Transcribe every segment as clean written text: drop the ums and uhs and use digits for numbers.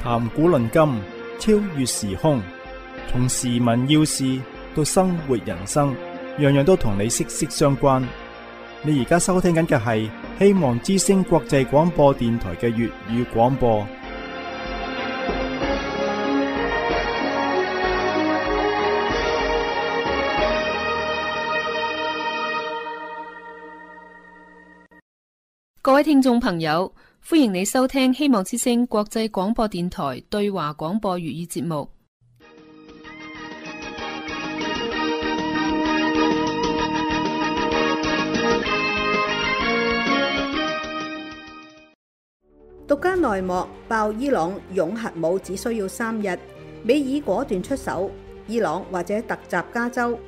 談古論今，超越時空，從時聞要事到生活人生，樣樣都同你息息相關。你而家收聽緊嘅係希望之聲國際廣播電台嘅粵語廣播。各位聽眾朋友，歡迎你收聽希望之聲國際廣播電台對華廣播粵語節目。獨家內幕爆伊朗擁核武只需要3日，美爾果斷出手，伊朗或者突襲加州。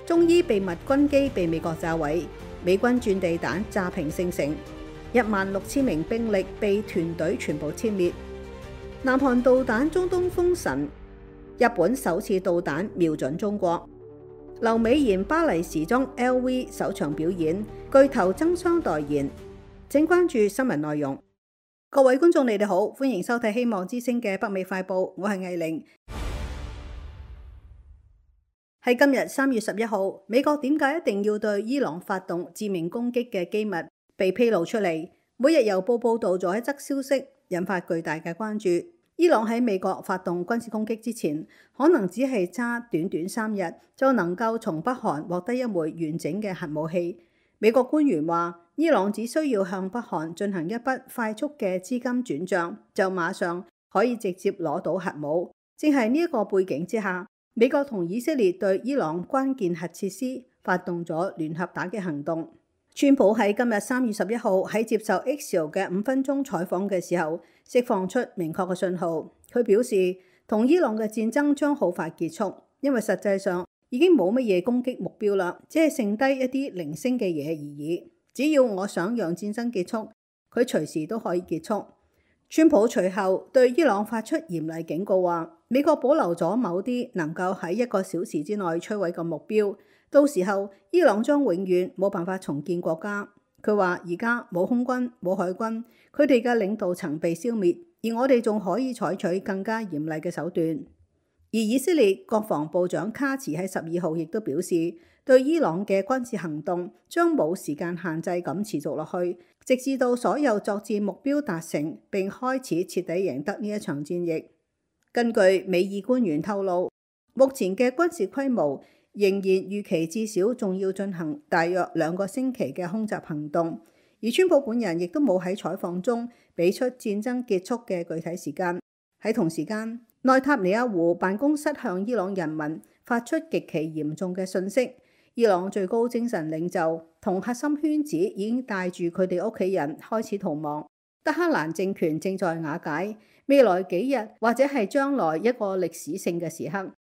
中伊秘密軍機被美國炸毀，美軍轉地彈炸平聖城。16000名兵力被團隊全部殲滅。南韓導彈中東封神，日本首次導彈瞄準中國。劉美妍巴黎時裝 LV 首場表演，巨頭爭相代言。請關注新聞內容。各位觀眾，你哋好，歡迎收睇希望之聲嘅北美快報，我係藝玲。喺今日3月11號，美國點解一定要對伊朗發動致命攻擊嘅機密被披露出嚟，每日郵報報道咗一則消息，引發巨大嘅關注。伊朗喺美國發動軍事攻擊之前，可能只係差短短3日就能夠從北韓獲得一枚完整嘅核武器。美國官員話，伊朗只需要向北韓進行一筆快速嘅資金轉賬，就馬上可以直接攞到核武。正係呢一個背景之下，美國同以色列對伊朗關鍵核設施發動咗聯合打擊行動。川普喺今日3月11號喺接受 Axios 嘅5分鐘採訪嘅時候，釋放出明確嘅信號。佢表示，同伊朗嘅戰爭將好快結束，因為實際上已經冇乜嘢攻擊目標啦，只係剩低一啲零星嘅嘢而已。只要我想讓戰爭結束，佢隨時都可以結束。川普隨後對伊朗發出嚴厲警告，話美國保留咗某啲能夠喺1個小時之內摧毀嘅目標，到時候伊朗將永遠冇辦法重建國家。佢話而家冇空軍冇海軍，佢哋嘅領導層被消滅，而我哋仲可以採取更加嚴厲嘅手段。而以色列國防部長卡茨喺12號亦都表示，對伊朗嘅軍事行動將冇時間限制咁持續落去，直至到所有作戰目標達成並開始徹底贏得呢一場戰役。根據美爾官員透露，目前嘅軍事規模仍然預期至少仲要進行大約2個星期嘅空襲行動，而川普本人亦都冇喺採訪中俾出戰爭結束嘅具體時間。喺同時間，內塔尼亞胡辦公室向伊朗人民發出極其嚴重嘅訊息，伊朗最高精神領袖同核心圈子已經帶住佢哋屋企人開始逃亡，德黑蘭政權正在瓦解，未來幾日或者係將來一個歷史性嘅時刻。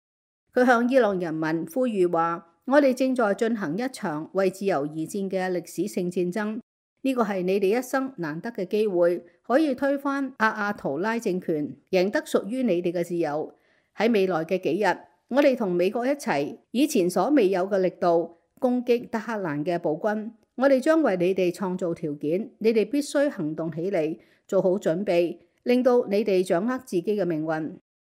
佢向伊朗人民呼籲話，我哋正在進行一場為自由而戰嘅歷史性戰爭，呢個係你哋一生難得嘅機會，可以推翻阿亞圖拉政權，贏得屬於你哋嘅自由。喺未來嘅幾日，我哋同美國一齊以前所未有嘅力度攻擊德黑蘭嘅暴軍，我哋將為你哋創造條件，你哋必須行動起嚟，做好準備，令到你哋掌握自己嘅命運。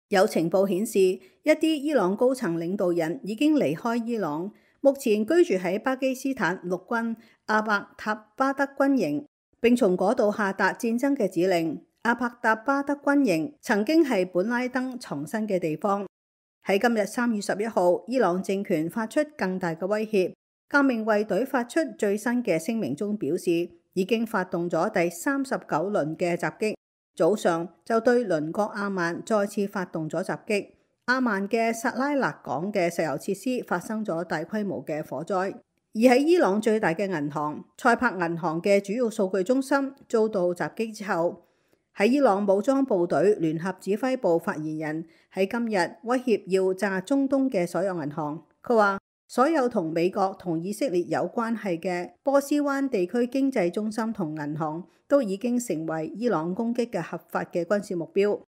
有情報顯示，一啲伊朗高層領導人已經離開伊朗，目前居住喺巴基斯坦陸軍阿伯塔巴德軍營，並從嗰度下達戰爭嘅指令。阿伯塔巴德軍營曾經係本拉登藏身嘅地方。喺今日3月11號，伊朗政權發出更大嘅威脅。革命衛隊發出最新嘅聲明中表示，已經發動咗第39輪嘅襲擊。早上就對鄰國阿曼再次發動咗襲擊。阿曼嘅薩拉勒港嘅石油設施發生咗大規模嘅火災。而喺伊朗最大嘅銀行塞柏銀行嘅主要數據中心遭到襲擊之後，喺伊朗武裝部隊聯合指揮部發言人喺今日威脅要炸中東嘅所有銀行。佢話，所有同美國同以色列有關係嘅波斯灣地區經濟中心同銀行都已經成為伊朗攻擊嘅合法嘅軍事目標。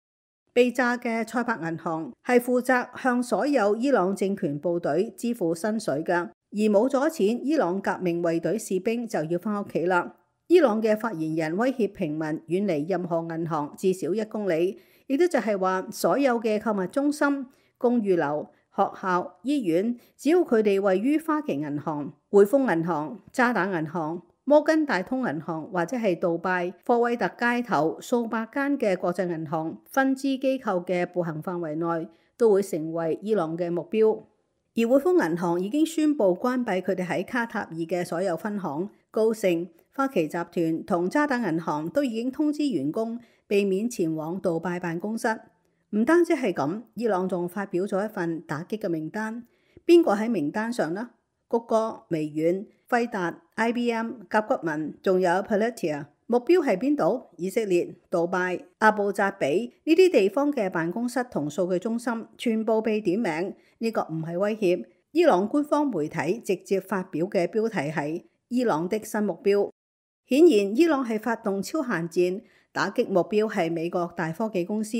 被炸嘅塞柏銀行係負責向所有伊朗政權部隊支付薪水嘅，而冇咗錢，伊朗革命衛隊士兵就要返屋企啦。伊朗嘅發言人威脅平民遠離任何銀行至少1公里，亦都就係話所有嘅購物中心、公寓樓、學校、醫院，只要佢哋位於花旗銀行、匯豐銀行、渣打銀行、摩根大通銀行或者係杜拜科威特街頭數百間嘅國際銀行分支機構嘅步行範圍內，都會成為伊朗嘅目標。而匯豐銀行已經宣布關閉佢哋喺卡塔爾嘅所有分行，高盛、花旗集團同渣打銀行都已經通知員工避免前往杜拜辦公室。唔單止係咁，伊朗仲發表咗一份打擊嘅名單。邊個喺名單上呢？谷歌、微軟、輝達、IBM、甲骨文，仲有 Palantir。目標係邊度？以色列、杜拜、阿布扎比呢啲地方嘅辦公室同數據中心全部被點名。呢個唔係威脅。伊朗官方媒體直接發表嘅標題係伊朗的新目標。顯然，伊朗係發動超限戰，打擊目標係美國大科技公司。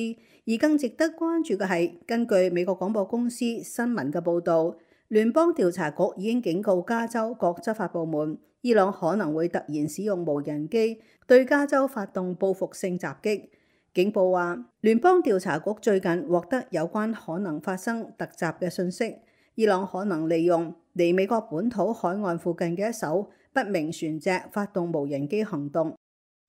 而更值得關注嘅係，根據美國廣播公司新聞嘅報導，聯邦調查局已經警告加州各執法部門，伊朗可能會突然使用無人機對加州發動報復性襲擊。警報話，聯邦調查局最近獲得有關可能發生突襲嘅訊息，伊朗可能利用離美國本土海岸附近嘅一艘不明船隻發動無人機行動。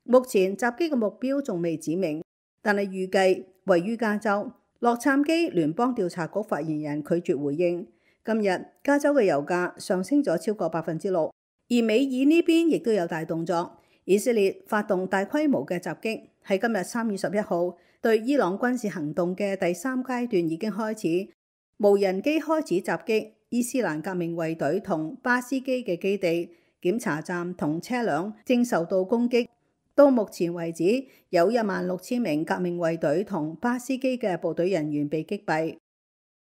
目前襲擊嘅目標仲未指明，但係預計位於加州。洛杉磯聯邦調查局發言人拒絕回應。今日加州嘅油價上升咗超過6%，而美爾呢邊亦都有大動作。以色列發動大規模嘅襲擊，喺今日3月11號對伊朗軍事行動嘅第3階段已經開始，無人機開始襲擊伊斯蘭革命衛隊同巴斯基嘅基地、檢查站同車輛正受到攻擊。到目前為止，有16000名革命衛隊同巴斯基嘅部隊人員被擊斃。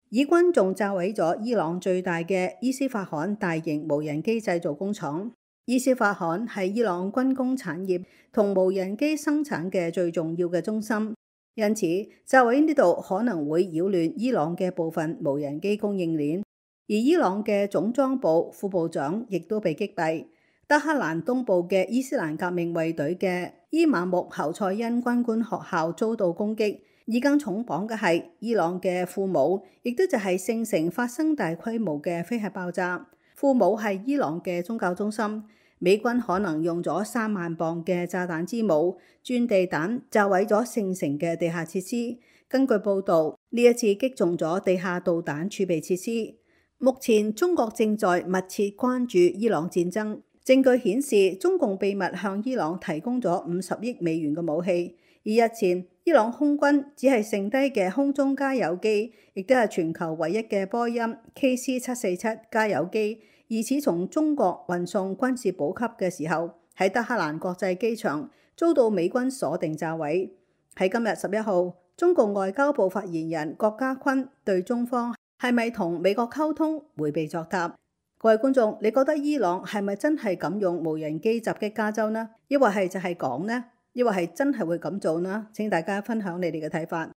以軍仲炸毀咗伊朗最大嘅伊斯法罕大型無人機製造工廠。伊斯法罕係伊朗軍工產業同無人機生產嘅最重要嘅中心，因此炸毀呢度可能會擾亂伊朗嘅部分無人機供應鏈。而伊朗嘅總裝部副部長亦都被擊斃。德黑蘭東部嘅伊斯蘭革命衛隊嘅伊馬木侯賽因軍官學校遭到攻擊，而更重磅嘅係伊朗嘅庫姆，亦都就係聖城發生大規模嘅飛核爆炸。庫姆係伊朗嘅宗教中心，美軍可能用咗3萬磅嘅炸彈之母鑽地彈炸毀咗聖城嘅地下設施。根據報導，呢一次擊中咗地下導彈儲備設施。目前中國正在密切關注伊朗戰爭。證據顯示，中共秘密向伊朗提供咗50億美元嘅武器。而日前，伊朗空軍只係剩低嘅空中加油機，亦都係全球唯一嘅波音 KC-747加油機，疑似從中國運送軍事補給嘅時候，喺德黑蘭國際機場遭到美軍鎖定炸毀。喺今日11號，中共外交部發言人郭家坤對中方係咪同美國溝通迴避作答。各位觀眾，你覺得伊朗係咪真係敢用無人機襲擊加州呢？抑或係就係講呢？抑或係真係會咁做呢？請大家分享你哋嘅睇法。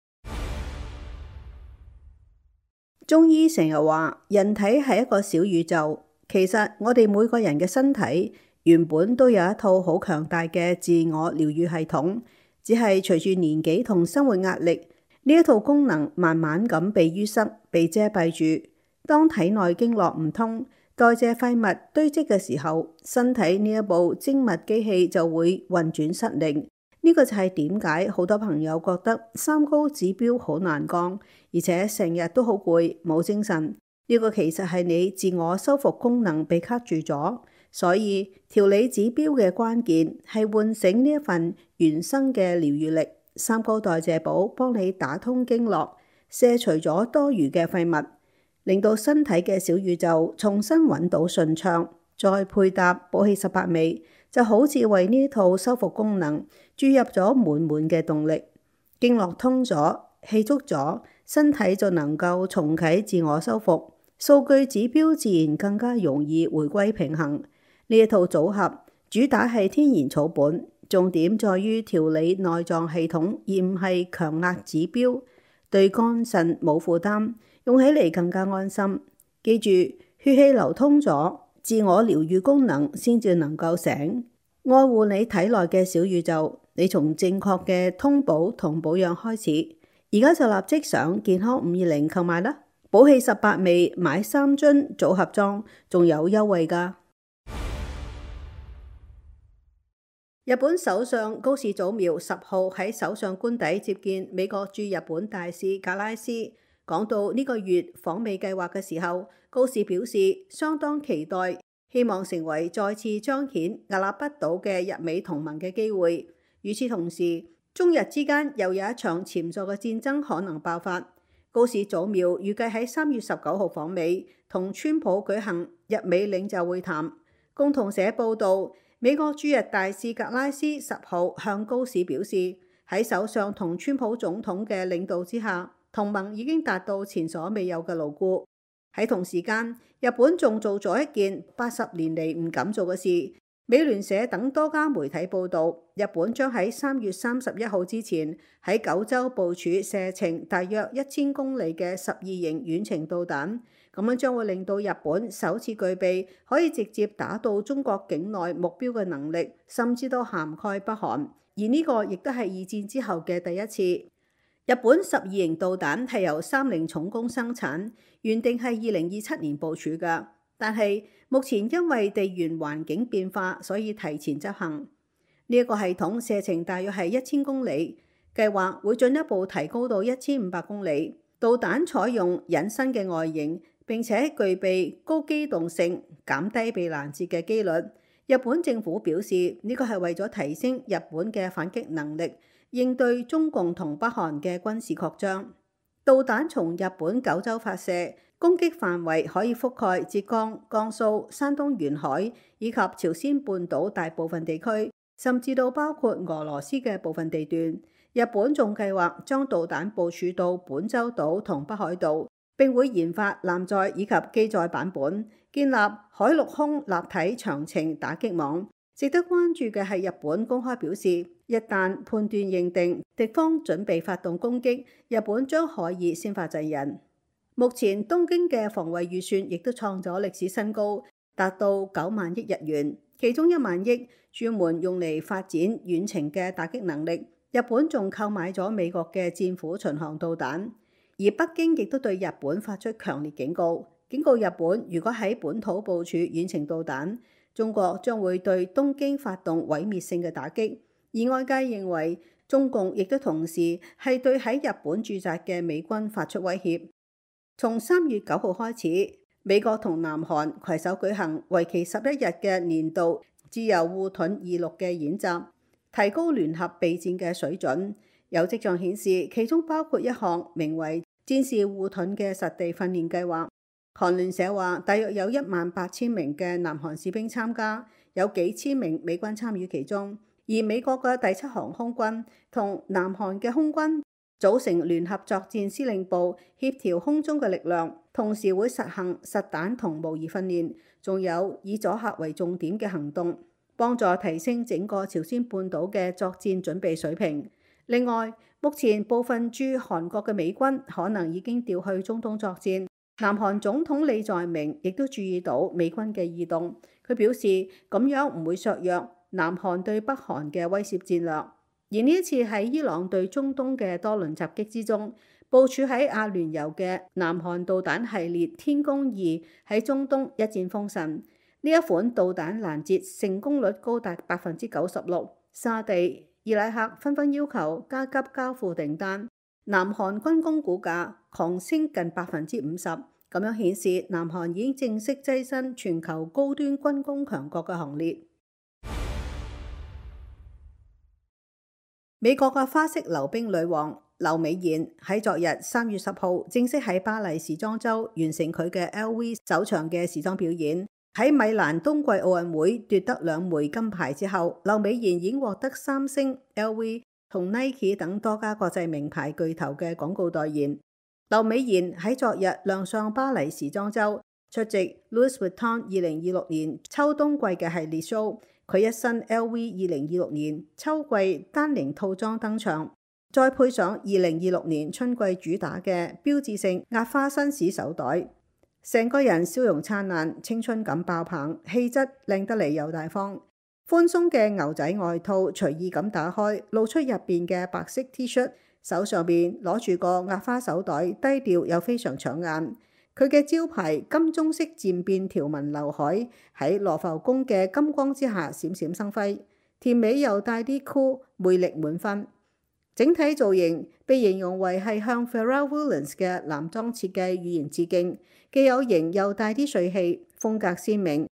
中醫成日話人體係一個小宇宙，其實我哋每個人嘅身體原本都有一套好強大嘅自我療癒系統，只係隨住年紀同生活壓力，呢一套功能慢慢咁被淤塞、被遮蔽住。當體內經絡唔通，代謝廢物堆積嘅時候，身體呢一部精密機器就會運轉失靈。呢個就係點解好多朋友覺得三高指標好難降，而且成日都好攰、冇精神。呢個其實係你自我修復功能被卡住咗。所以調理指標嘅關鍵係喚醒呢一份原生嘅療癒力。三高代謝寶幫你打通經絡，卸除咗多餘嘅廢物，令到身體嘅小宇宙重新揾到順暢，再配搭補氣18味，就好似為呢套修復功能注入咗滿滿嘅動力。經絡通咗，氣足咗，身體就能夠重啟自我修復，數據指標自然更加容易回歸平衡。呢一套組合主打係天然草本，重點在於調理內臟系統，而唔係強壓指標，對肝腎冇負擔，用起嚟更加安心。記住，血氣流通咗，自我療癒功能先至能夠醒。愛護你體內嘅小宇宙，你從正確嘅通補同保養開始，而家就立即上健康520購買啦！寶氣18味買3樽組合裝，仲有優惠㗎。日本首相高市早苗10號喺首相官邸接見美國駐日本大使格拉斯，講到呢個月訪美計劃嘅時候，高市表示相當期待，希望成為再次彰顯屹立不倒嘅日美同盟嘅機會。與此同時，中日之間又有一場潛在嘅戰爭可能爆發。高市早苗預計喺3月19號訪美，同川普舉行日美領袖會談。共同社報導，美國駐日大使格拉斯10號向高市表示，喺首相同川普總統嘅領導之下，同盟已經達到前所未有嘅牢固。喺同時間，日本仲做咗一件80年嚟唔敢做嘅事。美聯社等多家媒體報導，日本將喺3月31號之前喺九州部署射程大約1000公里嘅12型遠程導彈，咁樣將會令到日本首次具備可以直接打到中國境內目標嘅能力，甚至都涵蓋北韓。而呢個亦都係二戰之後嘅第一次。日本12型導彈係由30重工生產，原定係2027年部署㗎，但係目前因為地緣環境變化，所以提前執行。呢一個系統射程大約係1000公里，計劃會進一步提高到1500公里。導彈採用隱身嘅外形，並且具備高機動性，減低被攔截嘅機率。日本政府表示，呢個係為咗提升日本嘅反擊能力，應對中共同北韓嘅軍事擴張。導彈從日本九州發射，攻擊範圍可以覆蓋浙江、江蘇、山東沿海以及朝鮮半島大部分地區，甚至到包括俄羅斯嘅部分地段。日本仲計劃將導彈部署到本州島同北海道，並會研發艦載以及機載版本，建立海陸空立體長程打擊網。值得關注嘅係日本公開表示，一旦判斷認定敵方準備發動攻擊，日本將可以先發制人。目前東京嘅防衛預算亦都創咗歷史新高，達到9萬億日元，其中1萬億專門用嚟發展遠程嘅打擊能力。日本仲購買咗美國嘅戰斧巡航導彈，而北京亦都對日本發出強烈警告，警告日本如果喺本土部署遠程導彈，中國將會對東京發動毀滅性嘅打擊。而外界認為，中共亦都同時係對喺日本駐紮嘅美軍發出威脅。從3月9號開始，美國同南韓攜手舉行為期11日嘅年度自由護盾26嘅演習，提高聯合備戰嘅水準。有跡象顯示，其中包括一項名為戰士護盾嘅實地訓練計劃。韓聯社話，大約有18000名嘅南韓士兵參加，有幾千名美軍參與其中。而美國嘅第7航空軍同南韓嘅空軍組成聯合作戰司令部，協調空中嘅力量，同時會實行實彈同模擬訓練，仲有以阻嚇為重點嘅行動，幫助提升整個朝鮮半島嘅作戰準備水平。另外，目前部分駐韓國嘅美軍可能已經調去中東作戰。南韓總統李在明亦都注意到美軍嘅異動，佢表示咁樣唔會削弱南韓對北韓嘅威懾戰略。而呢一次喺伊朗對中東嘅多輪襲擊之中，部署喺阿聯酋嘅南韓導彈系列天宮2喺中東一戰封神。呢一款導彈攔截成功率高達96%，沙地、伊拉克紛紛要求加急交付訂單。南韓軍工股價狂升近50%，咁樣顯示南韓已經正式躋身全球高端軍工強國嘅行列。美國嘅花式溜冰女王劉美妍喺昨日3月10號正式喺巴黎時裝週完成佢嘅 LV 首場嘅時裝表演。喺米蘭冬季奧運會奪得2枚金牌之後，劉美妍已經獲得三星、LV 同 Nike 等多家國際名牌巨頭嘅廣告代言。劉美妍喺昨日亮相巴黎時裝週，出席 Louis Vuitton 2026年秋冬季嘅系列 show。佢一身 LV 2026年秋季丹寧套裝登場，再配上2026年春季主打嘅標誌性壓花紳士手袋，成個人笑容燦爛，青春感爆棚，氣質靚得嚟又大方。寬鬆嘅牛仔外套隨意咁打開，露出入邊嘅白色 T 恤，手上邊攞住個壓花手袋，低調又非常搶眼。佢嘅招牌金棕色漸變條紋劉海喺羅浮宮嘅金光之下閃閃生輝，甜美又帶啲酷，魅力滿分。整體造型被形容為係向 Pharrell Williams 嘅男裝設計語言致敬，既有型又帶啲帥氣，風格鮮明。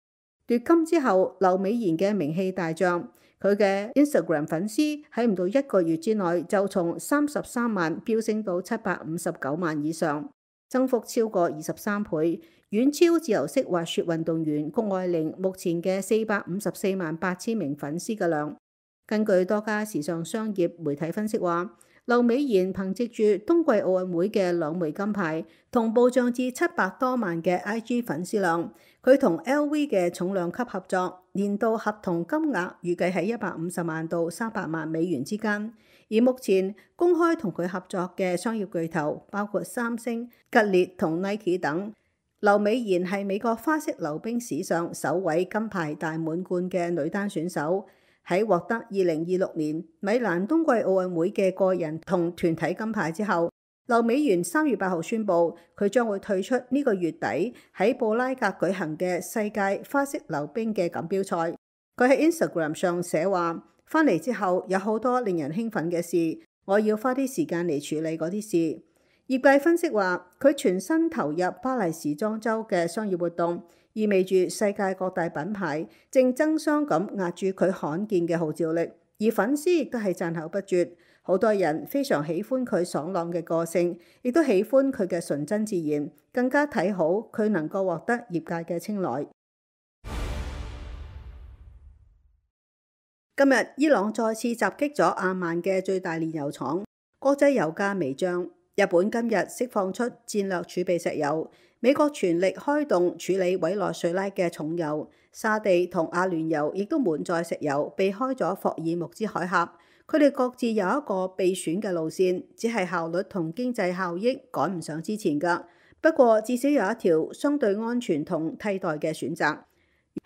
奪金之後，劉美賢嘅名氣大漲，佢嘅 Instagram 粉絲喺唔到1個月之內就從33萬飆升到759萬以上，增幅超過23倍，遠超自由式滑雪運動員谷愛凌目前嘅454萬8千名粉絲嘅量。根據多家時尚商業媒體分析話，劉美賢憑藉住冬季奧運會嘅2枚金牌，同步漲至700多萬嘅 IG 粉絲量。佢同 LV 嘅重量級合作，年度合同金額預計喺150萬到300萬美元之間。而目前公開同佢合作嘅商業巨頭包括三星、吉列同 Nike 等。劉美賢係美國花式溜冰史上首位金牌大滿貫嘅女單選手。喺獲得2026年米蘭冬季奧運會嘅個人同團體金牌之後，劉美賢3月8號宣布佢將會退出呢個月底喺布拉格舉行嘅世界花式溜冰嘅錦標賽。佢喺 Instagram 上寫話：翻嚟之後有好多令人興奮嘅事，我要花啲時間嚟處理嗰啲事。業界分析話，佢全身投入巴黎時裝週嘅商業活動，意味住世界各大品牌正爭相咁壓住佢罕見嘅號召力，而粉絲亦都係讚口不絕。好多人非常喜歡佢爽朗嘅個性，亦都喜歡佢嘅純真自然，更加睇好佢能夠獲得業界嘅青睞。今日伊朗再次襲擊咗阿曼嘅最大煉油廠，國際油價微漲。日本今日釋放出戰略儲備石油，美國全力開動處理委內瑞拉嘅重油，沙地同阿聯酋亦都滿載石油，避開咗霍爾木茲海峽。佢哋各自有一個備選嘅路線，只係效率同經濟效益趕唔上之前㗎。不過至少有一條相對安全同替代嘅選擇。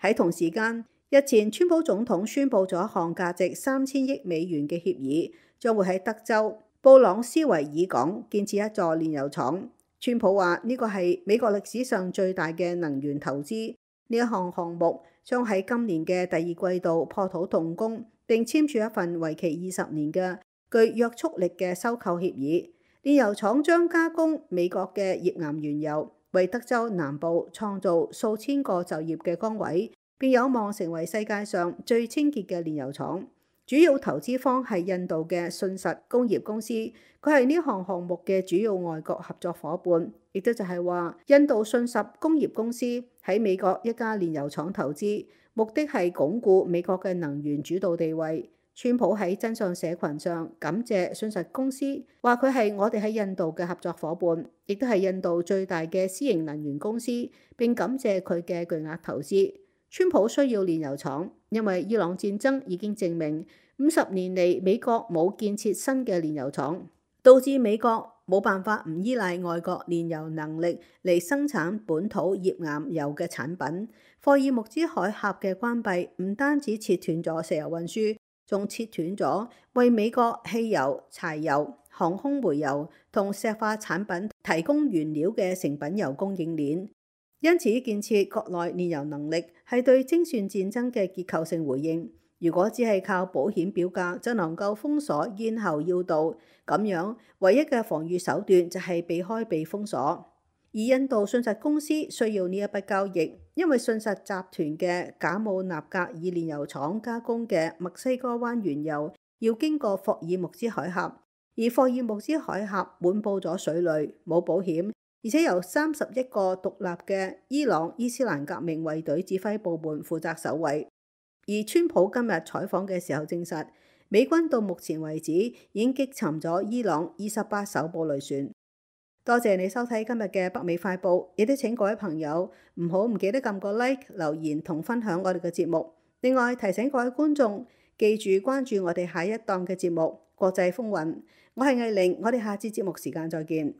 喺同時間，日前川普總統宣布咗一項價值3000億美元嘅協議，將會喺德州布朗斯維爾港建設一座煉油廠。川普話呢個係美國歷史上最大嘅能源投資，呢一項項目將喺今年嘅第2季度破土動工，並簽署一份為期20年嘅具約束力嘅收購協議。煉油廠將加工美國嘅頁岩原油，為德州南部創造數千個就業嘅崗位，並有望成為世界上最清潔嘅煉油廠。主要投資方係印度嘅信實工業公司，佢係呢項項目嘅主要外國合作伙伴，亦都就係話印度信實工業公司喺美國一家煉油廠投資，目的係鞏固美國嘅能源主導地位。川普喺真相社群上感謝信實公司，話佢係我哋喺印度嘅合作伙伴，亦都係印度最大嘅私營能源公司，並感謝佢嘅巨額投資。川普需要煉油廠，因為伊朗戰爭已經證明50年嚟美國冇建設新嘅煉油廠，導致美國冇辦法唔依賴外國煉油能力嚟生產本土頁岩油嘅產品。霍爾木茲海峽嘅關閉唔單止切斷咗石油運輸，仲切斷咗為美國汽油、柴油、航空煤油同石化產品提供原料嘅成品油供應鏈。因此，建設國內煉油能力係對精算戰爭嘅結構性回應。如果只係靠保險表格就能夠封鎖咽喉要道，咁樣唯一嘅防禦手段就係避開被封鎖。而印度信實公司需要呢一筆交易，因為信實集團嘅賈姆納格爾煉油廠加工嘅墨西哥灣原油要經過霍爾木茲海峽，而霍爾木茲海峽滿佈咗水雷，冇保險。而且由31個獨立嘅伊朗伊斯蘭革命衛隊指揮部門負責守衛。而川普今日採訪嘅時候證實，美軍到目前為止已經擊沉咗伊朗28艘布雷船。多謝你收睇今日嘅北美快報，亦都請各位朋友唔記得撳個 like、留言同分享我哋嘅節目。另外提醒各位觀眾記住關注我哋下一檔嘅節目《國際風雲》。我係藝玲，我哋下次節目時間再見。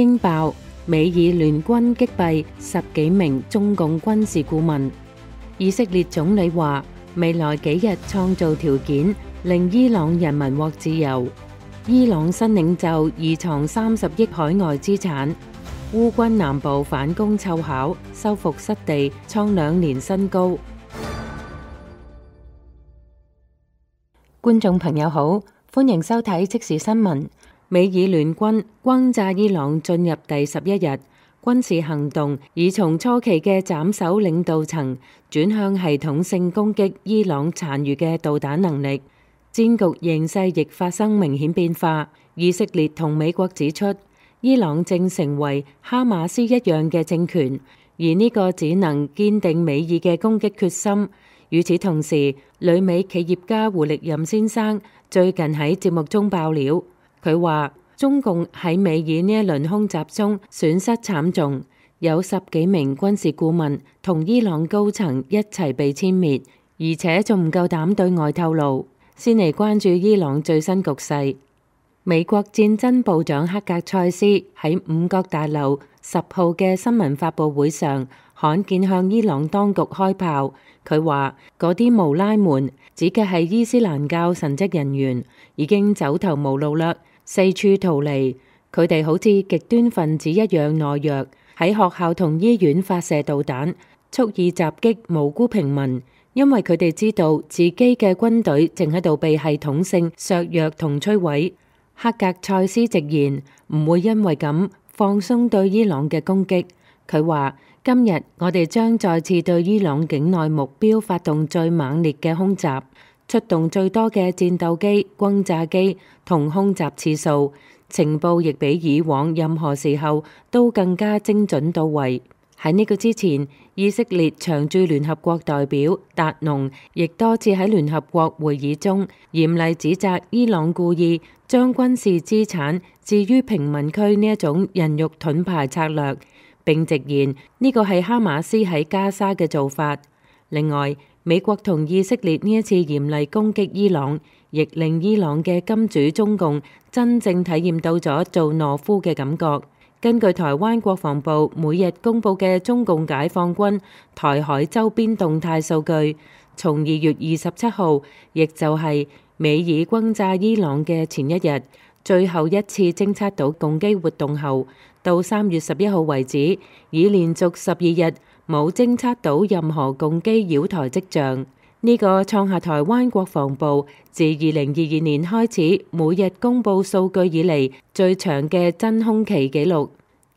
驚爆，美以聯軍擊斃10幾名中共軍事顧問。以色列總理話，未來幾日創造條件，令伊朗人民獲自由。伊朗新領袖疑藏30億海外資產。烏軍南部反攻湊巧，收復失地，創2年新高。觀眾朋友好，歡迎收睇即時新聞。美以聯軍轟炸伊朗進入第11日，軍事行動已從初期嘅斬首領導層轉向系統性攻擊伊朗殘餘嘅導彈能力，戰局形勢亦發生明顯變化。以色列同美國指出，伊朗正成為哈馬斯一樣嘅政權，而呢個只能堅定美以嘅攻擊決心。與此同時，旅美企業家胡力任先生最近喺節目中爆料，佢話中共喺美以呢一輪空襲中損失慘重，有10幾名軍事顧問同伊朗高層一齊被殲滅，而且仲唔夠膽對外透露。先嚟關注伊朗最新局勢。美國戰爭部長克格塞斯喺五角大樓10號嘅新聞發佈會上，罕見向伊朗當局開炮。佢話嗰啲穆拉們指嘅係伊斯蘭教神職人員，已經走投無路啦，四處逃離。佢哋好似極端分子一樣懦弱，喺學校同醫院發射導彈，蓄意襲擊無辜平民，因為佢哋知道自己嘅軍隊正喺度被系統性削弱同摧毀。克格塞斯直言唔會因為咁放鬆對伊朗嘅攻擊。佢話今日我哋將再次對伊朗境內目標發動最猛烈嘅空襲，出動最多嘅戰鬥機、轟炸機同空襲次數，情報亦比以往任何時候都更加精準到位。喺呢個之前，以色列常駐聯合國代表達農亦多次喺聯合國會議中嚴厲指責伊朗故意將軍事資產置於平民區呢一種人肉盾牌策略，並直言呢個係哈馬斯喺加沙嘅做法。另外，美國同以色列呢一次嚴厲攻擊伊朗，亦令伊朗嘅金主中共真正體驗到咗做懦夫嘅感覺。根據台灣國防部每日公佈嘅中共解放軍台海周邊動態數據，從2月27號，亦就係美以轟炸伊朗嘅前一日，最後一次偵測到共機活動後，到3月11號為止，已連續12日冇偵測到任何共機擾台跡象。呢個創下台灣國防部自2022年開始每日公佈數據以嚟最長嘅真空期紀錄。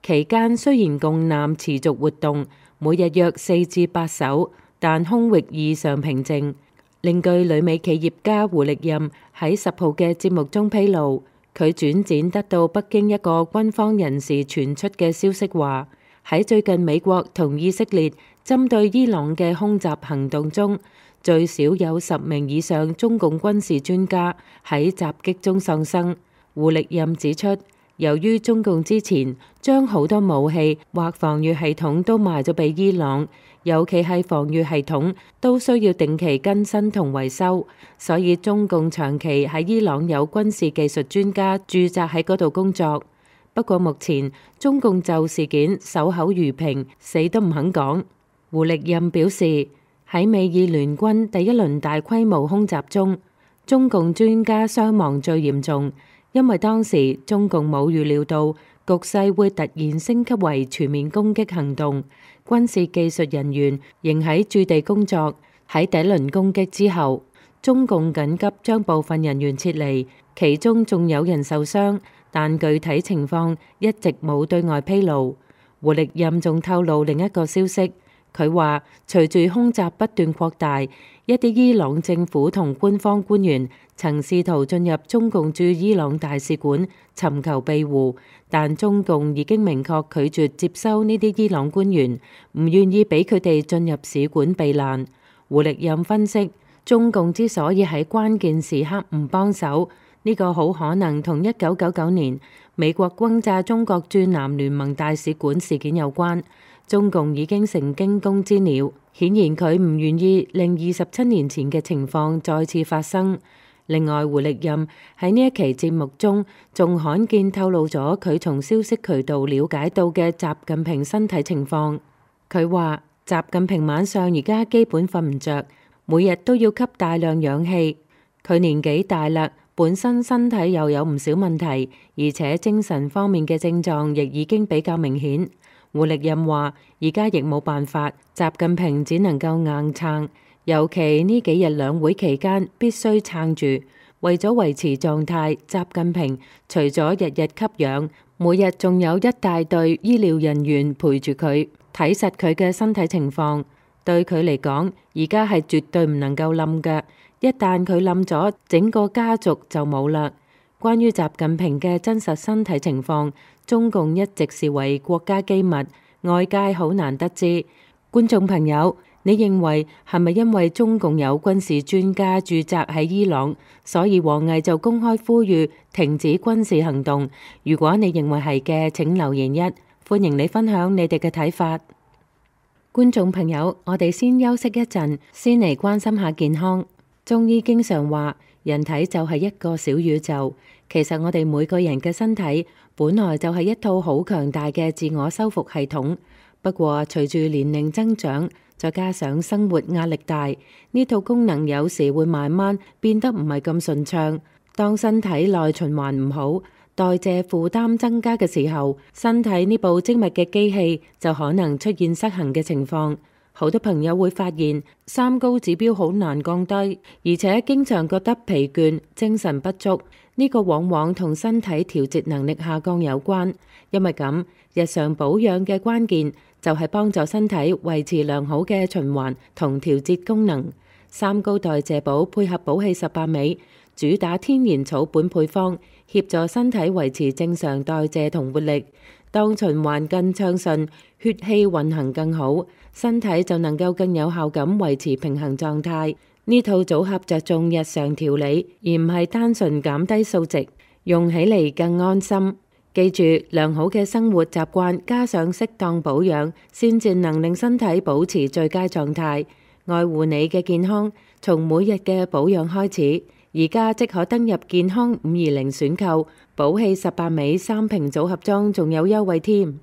期間雖然共艦持續活動，每日約4至8艘，但空域異常平靜。另據旅美企業家胡力任喺10號嘅節目中披露，佢轉展得到北京一個軍方人士傳出嘅消息話，喺最近美國同以色列針對伊朗嘅空襲行動中，最少有10名以上中共軍事專家喺襲擊中喪生。胡力任指出，由於中共之前將好多武器或防禦系統都賣咗俾伊朗，尤其係防禦系統都需要定期更新同維修，所以中共長期喺伊朗有軍事技術專家駐紮喺嗰度工作。不過目前中共就事件守口如瓶，死都唔肯講。胡力任表示，喺美以聯軍第一輪大規模空襲中，中共專家傷亡最嚴重，因為當時中共冇預料到局勢會突然升級為全面攻擊行動，軍事技術人員仍喺駐地工作。喺第一輪攻擊之後，中共緊急將部分人員撤離，其中仲有人受傷，但具體情況一直冇對外披露。胡力任仲透露另一個消息。佢話，隨住空襲不斷擴大，一啲伊朗政府同官方官員曾試圖進入中共駐伊朗大使館尋求庇護，但中共已經明確拒絕接收呢啲伊朗官員，唔願意俾佢哋進入使館避難。胡力任分析，中共之所以喺關鍵時刻唔幫手，呢個好可能同1999年美國轟炸中國駐南聯盟大使館事件有關。中共已經成驚弓之鳥，顯然佢唔願意令27年前嘅情況再次發生。另外，胡力任喺呢一期節目中仲罕見透露咗佢從消息渠道了解到嘅習近平身體情況。佢話習近平晚上而家基本瞓唔着，每日都要吸大量氧氣。佢年紀大啦，本身身體又有唔少問題，而且精神方面嘅症狀亦已經比較明顯。胡力任話而家亦冇辦法，習近平只能夠硬撐。尤其呢幾日兩會期間必須撐住，為咗維持狀態，習近平除咗日日吸氧，每日仲有一大隊醫療人員陪住佢，睇實佢嘅身體情況。對佢嚟講，而家係絕對唔能夠冧嘅，一旦佢冧咗，整個家族就冇啦。關於習近平嘅真實身體情況，中共一直視為國家機密，外界好難得知。觀眾朋友，你認為係咪因為中共有軍事專家駐紮喺伊朗，所以王毅就公開呼籲停止軍事行動？如果你認為係嘅，請留言1，歡迎你分享你哋嘅睇法。觀眾朋友，我哋先休息一陣，先嚟關心下健康。中醫經常話，人體就係一個小宇宙。其實我哋每個人嘅身體本來就係一套好強大嘅自我修復系統。不過隨住年齡增長，再加上生活壓力大，呢套功能有時會慢慢變得唔係咁順暢。當身體內循環唔好，代謝負擔增加嘅時候，身體呢部精密嘅機器就可能出現失衡嘅情況。好多朋友會發現三高指標好難降低，而且經常覺得疲倦、精神不足。呢個往往同身體調節能力下降有關。因為咁，日常保養嘅關鍵就係幫助身體維持良好嘅循環同調節功能。三高代謝寶配合寶氣18味，主打天然草本配方，協助身體維持正常代謝同活力。當循環更暢順，血氣運行更好，身體就能夠更有效咁維持平衡狀態。呢套組合着重日常調理，而唔係單純減低數值，用起嚟更安心。記住，良好嘅生活習慣加上適當保養，先至能令身體保持最佳狀態。愛護你嘅健康，從每日嘅保養開始。而家即可登入健康520選購，寶氣18味3瓶組合裝，仲有優惠添。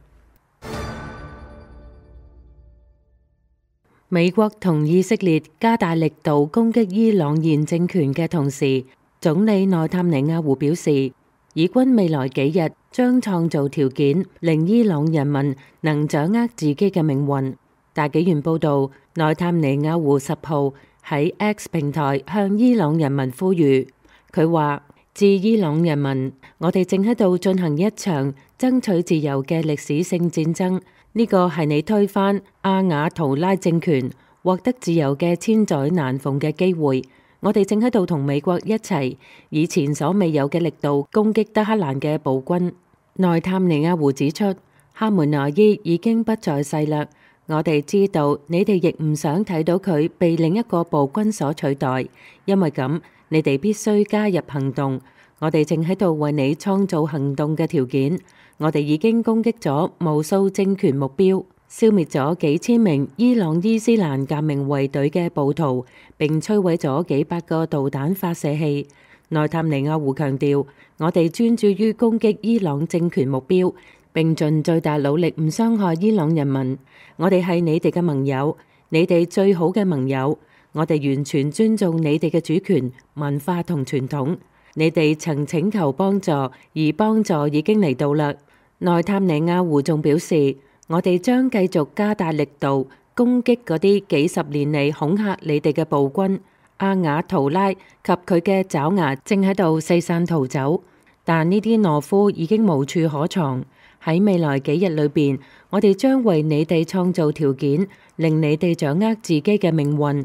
美國同以色列加大力度攻擊伊朗現政權嘅同時，總理內塔尼亞胡表示，以軍未來幾日將創造條件，令伊朗人民能掌握自己嘅命運。大紀元報導，內塔尼亞胡10號喺 X 平台向伊朗人民呼籲，佢話：致伊朗人民，我哋正喺度進行一場爭取自由嘅歷史性戰爭。呢個係你推翻阿雅圖拉政權、獲得自由嘅千載難逢嘅機會。我哋正喺度同美國一齊，以前所未有嘅力度攻擊德黑蘭嘅暴君。內塔尼亞胡指出，哈梅內伊已經不在世啦。我哋知道你哋亦唔想睇到佢被另一個暴君所取代，因為咁，你哋必須加入行動。我哋正喺度為你創造行動嘅條件。我哋已經攻擊咗無數政權目標，消滅咗幾千名伊朗伊斯蘭革命衛隊嘅暴徒，並摧毀咗幾百個導彈發射器。內塔尼亞胡強調，我哋專注於攻擊伊朗政權目標，並盡最大努力唔傷害伊朗人民。我哋係你哋嘅盟友，你哋最好嘅盟友。我哋完全尊重你哋嘅主權、文化同傳統。你哋曾請求幫助，而幫助已經嚟到啦。內塔尼亞胡仲表示，我哋將繼續加大力度攻擊嗰啲幾十年嚟恐嚇你哋嘅暴君。阿雅圖拉及佢嘅爪牙正喺度四散逃走，但呢啲懦夫已經無處可藏。喺未來幾日裏邊，我哋將為你哋創造條件，令你哋掌握自己嘅命運。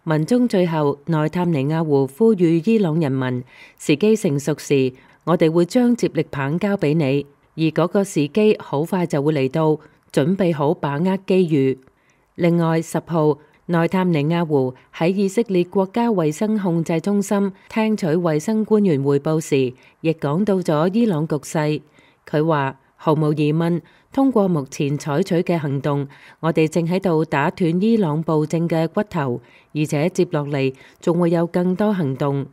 文中最後，內塔尼亞胡呼籲伊朗人民，時機成熟時，我哋會將接力棒交俾你。而嗰個時機好快就會嚟到，準備好把握機遇。另外10號，內塔尼亞胡喺以色列國家衛生控制中心聽取衛生官員匯報時，亦講到咗伊朗局勢。佢話：毫無疑問，通過目前採取嘅行動，我哋正喺度打斷伊朗暴政嘅骨頭，而且接落嚟仲會有更多行動。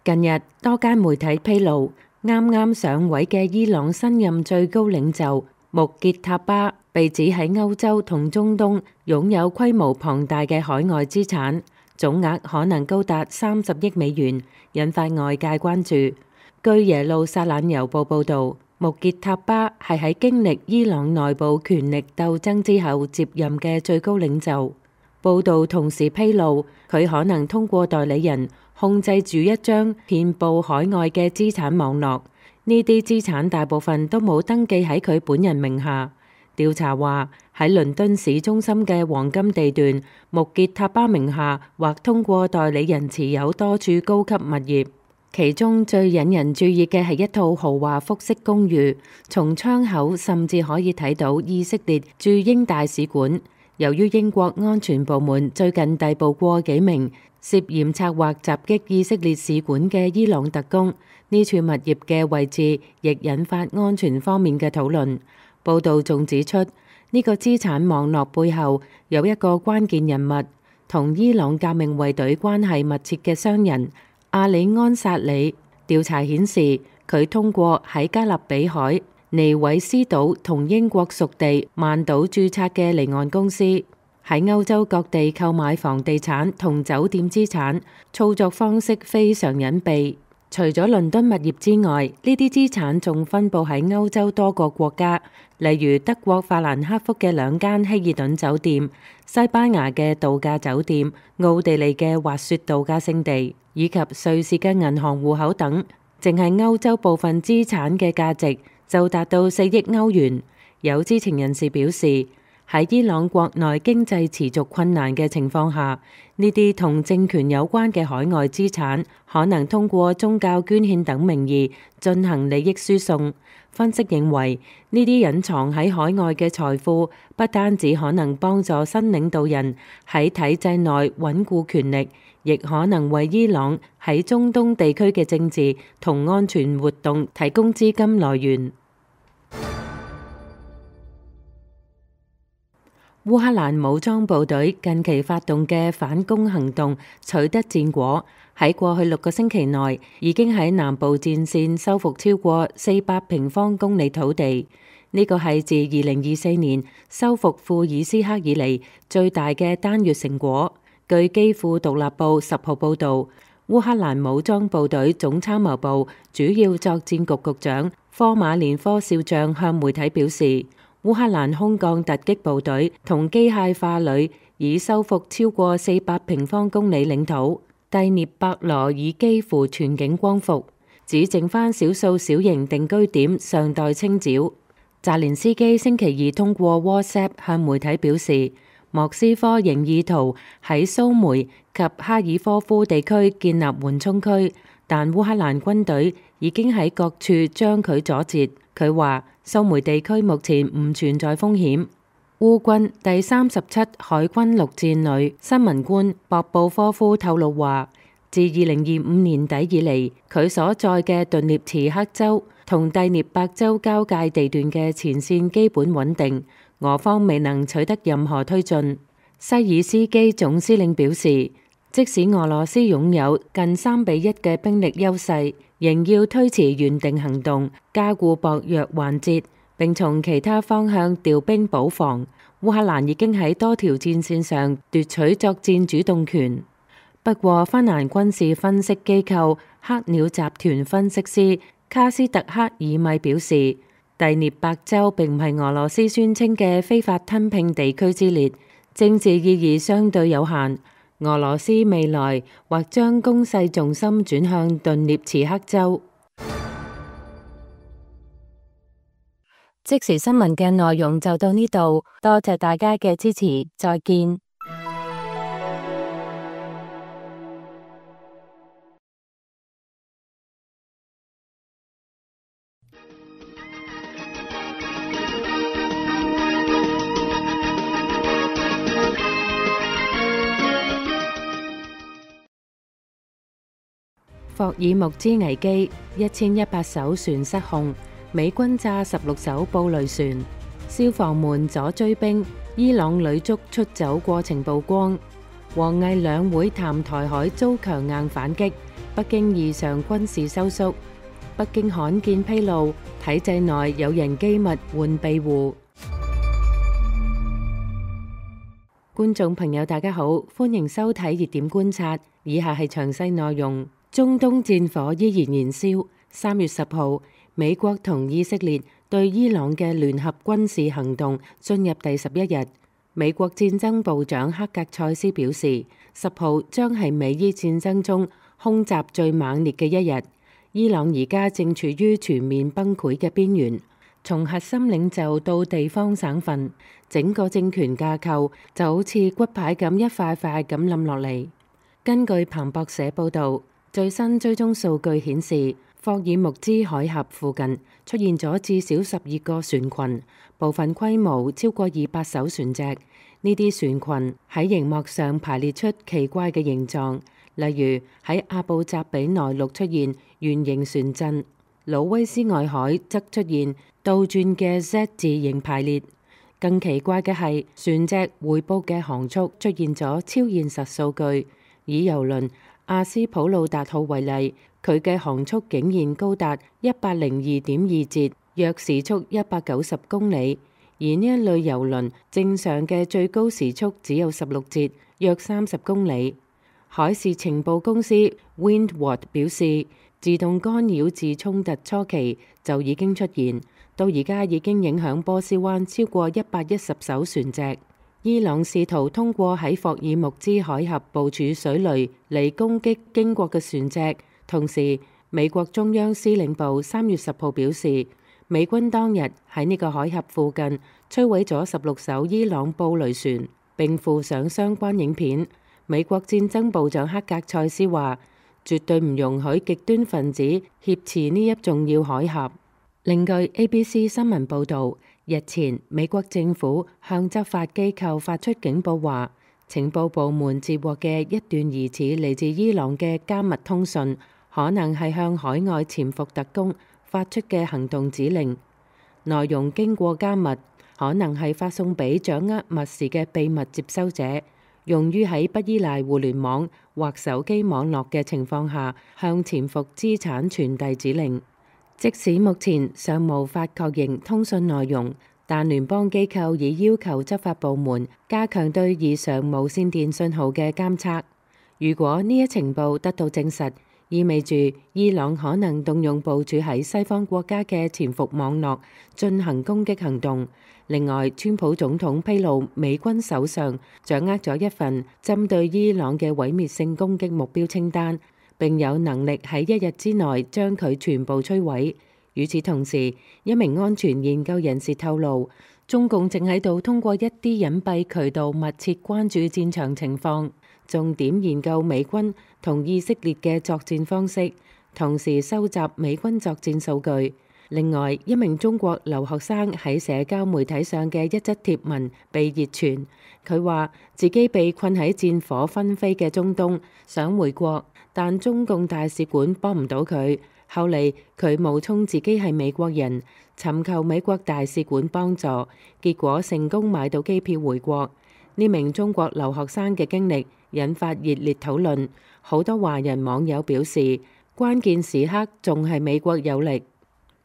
近日多間媒體披露，啱啱上位嘅伊朗新任最高領袖穆傑塔巴被指喺歐洲同中東擁有規模龐大嘅海外資產，總額可能高達30億美元，引發外界關注。據耶路撒冷郵報報導，穆傑塔巴係喺經歷伊朗內部權力鬥爭之後接任嘅最高領袖。報導同時披露，佢可能通過代理人控制住一張遍佈海外嘅資產網絡。呢啲資產大部分都冇登記喺佢本人名下。調查話，喺倫敦市中心嘅黃金地段，穆傑塔巴名下或通過代理人持有多處高級物業。其中最引人注意嘅係一套豪華複式公寓，從窗口甚至可以睇到以色列駐英大使館。由於英國安全部門最近逮捕過幾名涉嫌策劃襲擊以色列使館嘅伊朗特工，呢處物業嘅位置亦引發安全方面嘅討論。報道仲指出，呢個資產網絡背後有一個關鍵人物，同伊朗革命衛隊關係密切嘅商人阿里安薩里。調查顯示，佢通過喺加勒比海、尼維斯島同英國屬地曼島註冊嘅離岸公司，喺歐洲各地購買房地產同酒店資產，操作方式非常隱蔽。除咗倫敦物業之外，呢啲資產仲分佈喺歐洲多個國家，例如德國法蘭克福嘅2間希爾頓酒店、西班牙嘅度假酒店、奧地利嘅滑雪度假勝地，以及瑞士嘅銀行戶口等。淨係歐洲部分資產嘅價值就達到4億歐元。有知情人士表示，喺伊朗國內經濟持續困難嘅情況下，呢啲同政權有關嘅海外資產可能通過宗教捐獻等名義進行利益輸送。分析認為，呢啲隱藏喺海外嘅財富不單止可能幫助新領導人喺體制內穩固權力，亦可能為伊朗喺中東地區嘅政治同安全活動提供資金來源。烏克蘭武裝部隊近期發動嘅反攻行動取得戰果，喺過去6個星期內已經喺南部戰線收復超過400平方公里土地。呢個係自2024年收復庫爾斯克以嚟最大嘅單月成果。據基輔獨立報10號報導，烏克蘭武裝部隊總參謀部主要作戰局局長科馬連科少將向媒體表示，烏克蘭空降突擊部隊同機械化旅已收復超過400平方公里領土，第涅伯羅已幾乎全境光復，只剩返少數小型定居點尚待清剿。澤連斯基星期二通過 WhatsApp 向媒體表示，莫斯科仍意圖喺蘇梅及哈爾科夫地區建立緩衝區，但烏克蘭軍隊已經喺各處將佢阻截。佢話蘇梅地區目前唔存在風險。烏軍第37海軍陸戰旅新聞官博布科夫透露話，自2025年底以嚟，佢所在嘅頓涅茨克州同第聶伯州交界地段嘅前線基本穩定，俄方未能取得任何推進。西爾斯基總司令表示，即使俄羅斯擁有近3-1嘅兵力優勢，仍要推遲原定行動，加固薄弱環節，並從其他方向調兵補防。烏克蘭已經喺多條戰線上奪取作戰主動權。不過，芬蘭軍事分析機構黑鳥集團分析師卡斯特克爾米表示，第聶伯州並唔係俄羅斯宣稱嘅非法吞併地區之列，政治意義相對有限。俄羅斯未來或將攻勢重心轉向頓涅茨克州。即時新聞嘅內容就到呢度，多謝大家嘅支持，再見。霍爾木茲危機，1100艘船失控，美軍炸16艘布雷船，消防門阻追兵，伊朗女足出走過程曝光，王毅兩會談台海遭強硬反擊，北京異常軍事收縮。北京罕見披露體制內有人機密換庇護。觀眾朋友大家好，歡迎收睇熱點觀察，以下係詳細內容。中東戰火依然燃燒。3月10號，美國同以色列對伊朗嘅聯合軍事行動進入第11日。美國戰爭部長克格塞斯表示，10號將係美伊戰爭中空襲最猛烈嘅一日。伊朗而家正處於全面崩潰嘅邊緣，從核心領袖到地方省份，整個政權架構就好似骨牌咁一塊塊咁冧落嚟。根據彭博社報導，最新追蹤數據顯示，霍爾木茲海峽附近出現咗至少12個船群，部分規模超過200艘船隻。呢啲船群喺熒幕上排列出奇怪嘅形狀，例如喺阿布扎比內陸出現圓形船陣，魯威斯外海則出現倒轉嘅 Z 字形排列。更奇怪嘅係，船隻匯報嘅航速出現咗超現實數據。以郵輪阿斯普魯達號為例，佢嘅航速竟然高達102.2節，約時速190公里。而呢一類郵輪正常嘅最高時速只有16節，約30公里。海事情報公司 Windward 表示，自動干擾自衝突初期就已經出現，到而家已經影響波斯灣超過110艘船隻。伊朗試圖通過喺霍爾木茲海峽部署水雷嚟攻擊經過嘅船隻。同時，美國中央司令部3月10號表示，美軍當日喺呢個海峽附近摧毀咗16艘伊朗布雷船，並附上相關影片。美國戰爭部長克格塞斯話，絕對唔容許極端分子挾持呢一重要海峽。另據 ABC 新聞報導，日前美國政府向執法機構發出警報，話情報部門接獲嘅一段疑似嚟自伊朗嘅加密通訊，可能係向海外潛伏特工發出嘅行動指令，內容經過加密，可能係發送俾掌握密事嘅秘密接收者，用於喺不依賴互聯網或手機網絡嘅情況下向潛伏資產傳遞指令。即使目前尚無法確認通訊內容，但聯邦機構已要求執法部門加強對異常無線電信號嘅監測。如果呢一情報得到證實，意味住伊朗可能動用部署喺西方國家嘅潛伏網絡進行攻擊行動。另外，川普總統披露美軍手上掌握咗一份針對伊朗嘅毀滅性攻擊目標清單，並有能力喺一日之內將佢全部摧毀。與此同時，一名安全研究人士透露，中共正喺度通過一啲隱蔽渠道密切關注戰場情況，重點研究美軍同以色列嘅作戰方式，同時收集美軍作戰數據。另外，一名中國留學生喺社交媒體上嘅一則貼文被熱傳，佢話自己被困喺戰火紛飛嘅中東，想回國，但中共大使館幫唔到佢。後嚟佢冒充自己係美國人，尋求美國大使館幫助，結果成功買到機票回國。呢名中國留學生嘅經歷引發熱烈討論，好多華人網友表示，關鍵時刻仲係美國有力。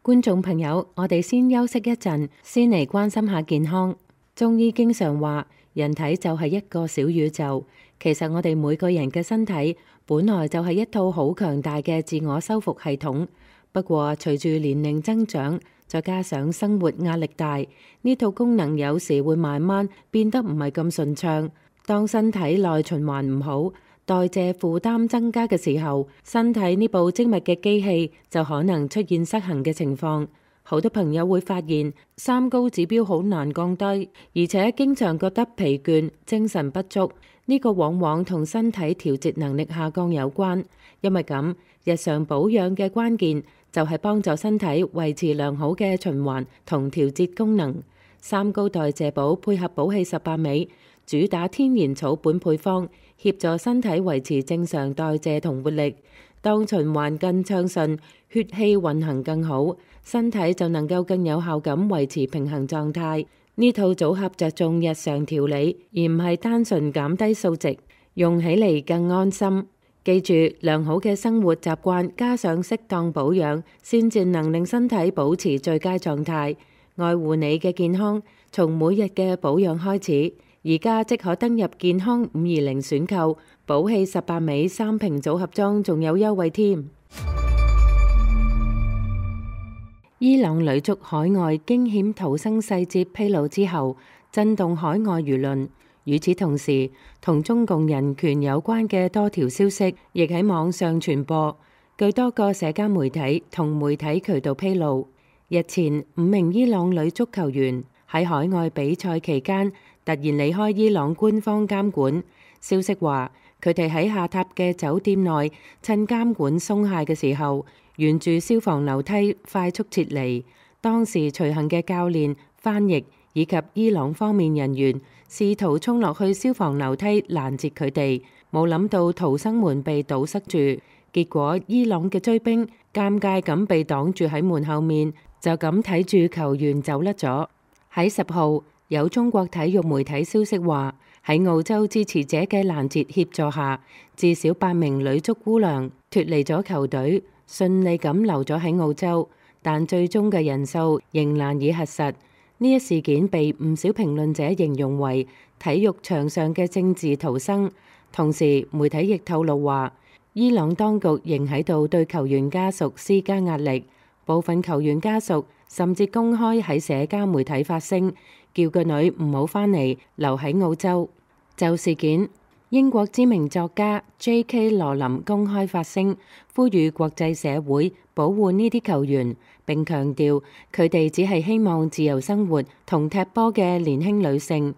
觀眾朋友，我哋先休息一陣，先嚟關心下健康。中醫經常話，人體就係一個小宇宙。其實我哋每個人嘅身體本來就係一套好強大嘅自我修復系統。不過隨住年齡增長，再加上生活壓力大，呢套功能有時會慢慢變得唔係咁順暢。當身體內循環唔好，代謝負擔增加嘅時候，身體呢部精密嘅機器就可能出現失衡嘅情況。好多朋友會發現三高指標好難降低，而且經常覺得疲倦、精神不足。呢個往往同身體調節能力下降有關。因為咁，日常保養嘅關鍵就係幫助身體維持良好嘅循環同調節功能。三高代謝寶配合寶氣18味，主打天然草本配方，協助身體維持正常代謝同活力。當循環更暢順，血氣運行更好，身體就能夠更有效咁維持平衡狀態。呢套組合着重日常調理，而唔係單純減低數值，用起嚟更安心。記住，良好嘅生活習慣加上適當保養，先至能令身體保持最佳狀態。愛護你嘅健康，從每日嘅保養開始。而家即可登入健康520選購，寶氣18味3瓶組合裝，仲有優惠添。伊朗女足海外驚險逃生細節披露之後，震動海外輿論。與此同時，同中共人權有關嘅多條消息亦喺網上傳播。據多個社交媒體同媒體渠道披露，日前5名伊朗女足球員喺海外比賽期間突然離開伊朗官方監管。消息話，佢哋喺下榻嘅酒店內趁監管鬆懈嘅時候，沿住消防樓梯快速撤離。當時隨行嘅教練、翻譯以及伊朗方面人員試圖衝落去消防樓梯攔截佢哋，冇諗到逃生門被堵塞住，結果伊朗嘅追兵尷尬咁被擋住喺門後面，就咁睇住球員走甩咗。喺10號，有中國體育媒體消息話，喺澳洲支持者嘅攔截協助下，至少8名女足姑娘脫離咗球隊，順利咁留咗喺澳洲，但最終嘅人數仍難以核實。呢一事件被唔少評論者形容為體育場上嘅政治逃生。同時，媒體亦透露話，伊朗當局仍喺度對球員家屬施加壓力，部分球員家屬甚至公開喺社交媒體發聲，叫個女唔好返嚟，留喺澳洲。就事件，英國知名作家 J.K. 羅琳公開發聲，呼籲國際社會保護呢啲球員，並強調佢哋只係希望自由生活同踢波嘅年輕女性。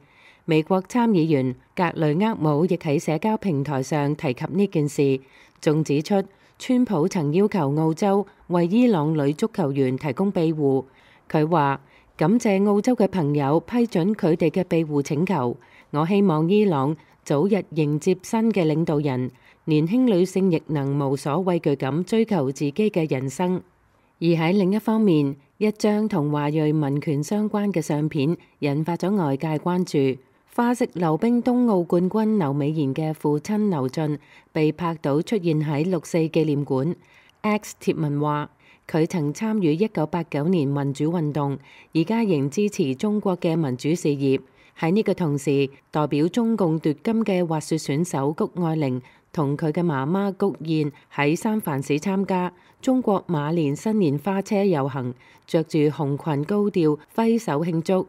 美國參議員格雷厄姆亦喺社交平台上提及呢件事，仲指出川普曾要求澳洲為伊朗女足球員提供庇護。佢話，感謝澳洲嘅朋友批准佢哋嘅庇護請求，我希望伊朗早日迎接新嘅領導人，年輕女性亦能無所畏懼咁追求自己嘅人生。而喺另一方面，一張同華裔民權相關嘅相片引發咗外界關注。花式溜冰冬奧冠軍劉美賢嘅父親劉俊被拍到出現喺6·4紀念館。X 貼文話，佢曾參與1989年民主運動，而家仍支持中國嘅民主事業。喺呢個同時，代表中共奪金嘅滑雪選手谷愛玲同佢嘅媽媽谷燕喺三藩市參加中國馬年新年花車遊行，着住紅裙高調揮手慶祝。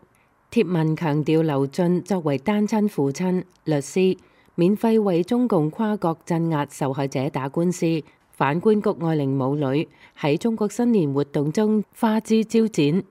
貼文強調劉俊作為單親父親、律師，免費為中共跨國鎮壓受害者打官司。反觀谷愛玲母女喺中國新年活動中花枝招展。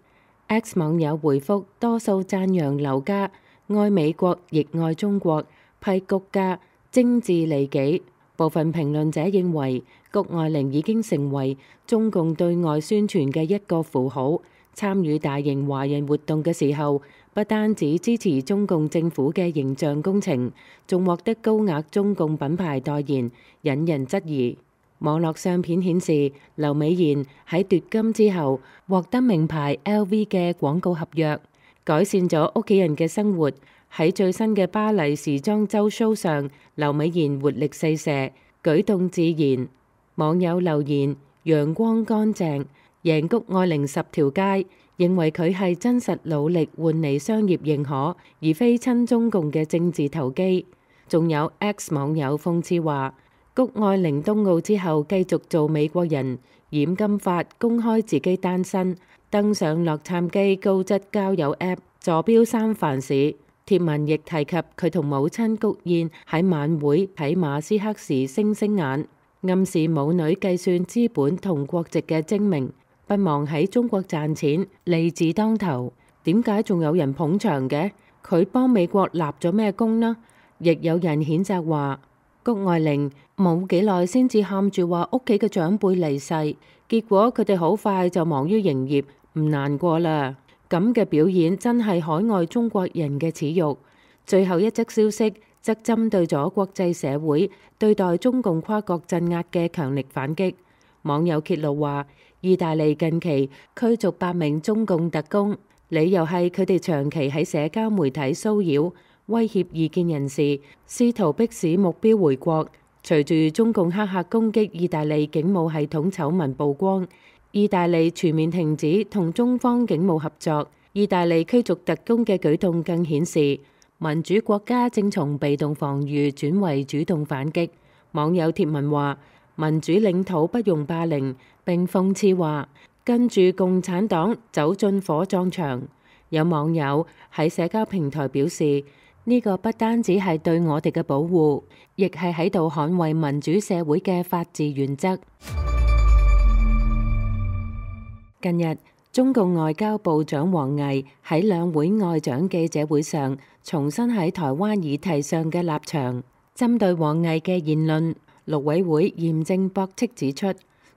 X 網友回覆多數讚揚劉家愛美國亦愛中國，批谷家精緻利己。部分評論者認為谷愛玲已經成為中共對外宣傳嘅一個符號，參與大型華人活動嘅時候，不單止支持中共政府嘅形象工程，仲獲得高額中共品牌代言，引人質疑。網絡相片顯示，劉美賢喺奪金之後獲得名牌 LV 嘅廣告合約，改善咗屋企人嘅生活。喺最新嘅巴黎時裝週 show 上，劉美賢活力四射，舉動自然。網友留言：陽光乾淨，贏谷愛玲10條街，認為佢係真實努力換嚟商業認可，而非親中共嘅政治投機。仲有 X 網友諷刺話，谷愛玲冬奧之後繼續做美國人，染金髮，公開自己單身，登上洛杉磯高質交友 App， 坐標三藩市。貼文亦提及佢同母親谷燕喺晚會喺馬斯克時星星眼，暗示母女計算資本同國籍嘅精明，不忘喺中國賺錢，利字當頭。點解仲有人捧場嘅？佢幫美國立咗咩功呢？亦有人譴責話，谷愛玲冇幾耐先至喊住話屋企嘅長輩離世，結果佢哋好快就忙於營業，唔難過啦。咁嘅表演真係海外中國人嘅恥辱。最後一則消息則針對咗國際社會對待中共跨國鎮壓嘅強力反擊。網友揭露話，意大利近期驅逐8名中共特工，理由係佢哋長期喺社交媒體騷擾、威脅異見人士，試圖迫使目標回國。隨住中共黑客攻擊意大利警務系統醜聞曝光，意大利全面停止同中方警務合作。意大利驅逐特工嘅舉動更顯示民主國家正從被動防禦轉為主動反擊。網友貼文話：民主領土不容霸凌，並諷刺話跟住共產黨走進火葬場。有網友喺社交平台表示，呢個不單止係對我哋嘅保護，亦係喺度捍衛民主社會嘅法治原則。近日，中共外交部長王毅喺兩會外長記者會上重申喺台灣議題上嘅立場。針對王毅嘅言論，陸委會嚴正駁斥指出，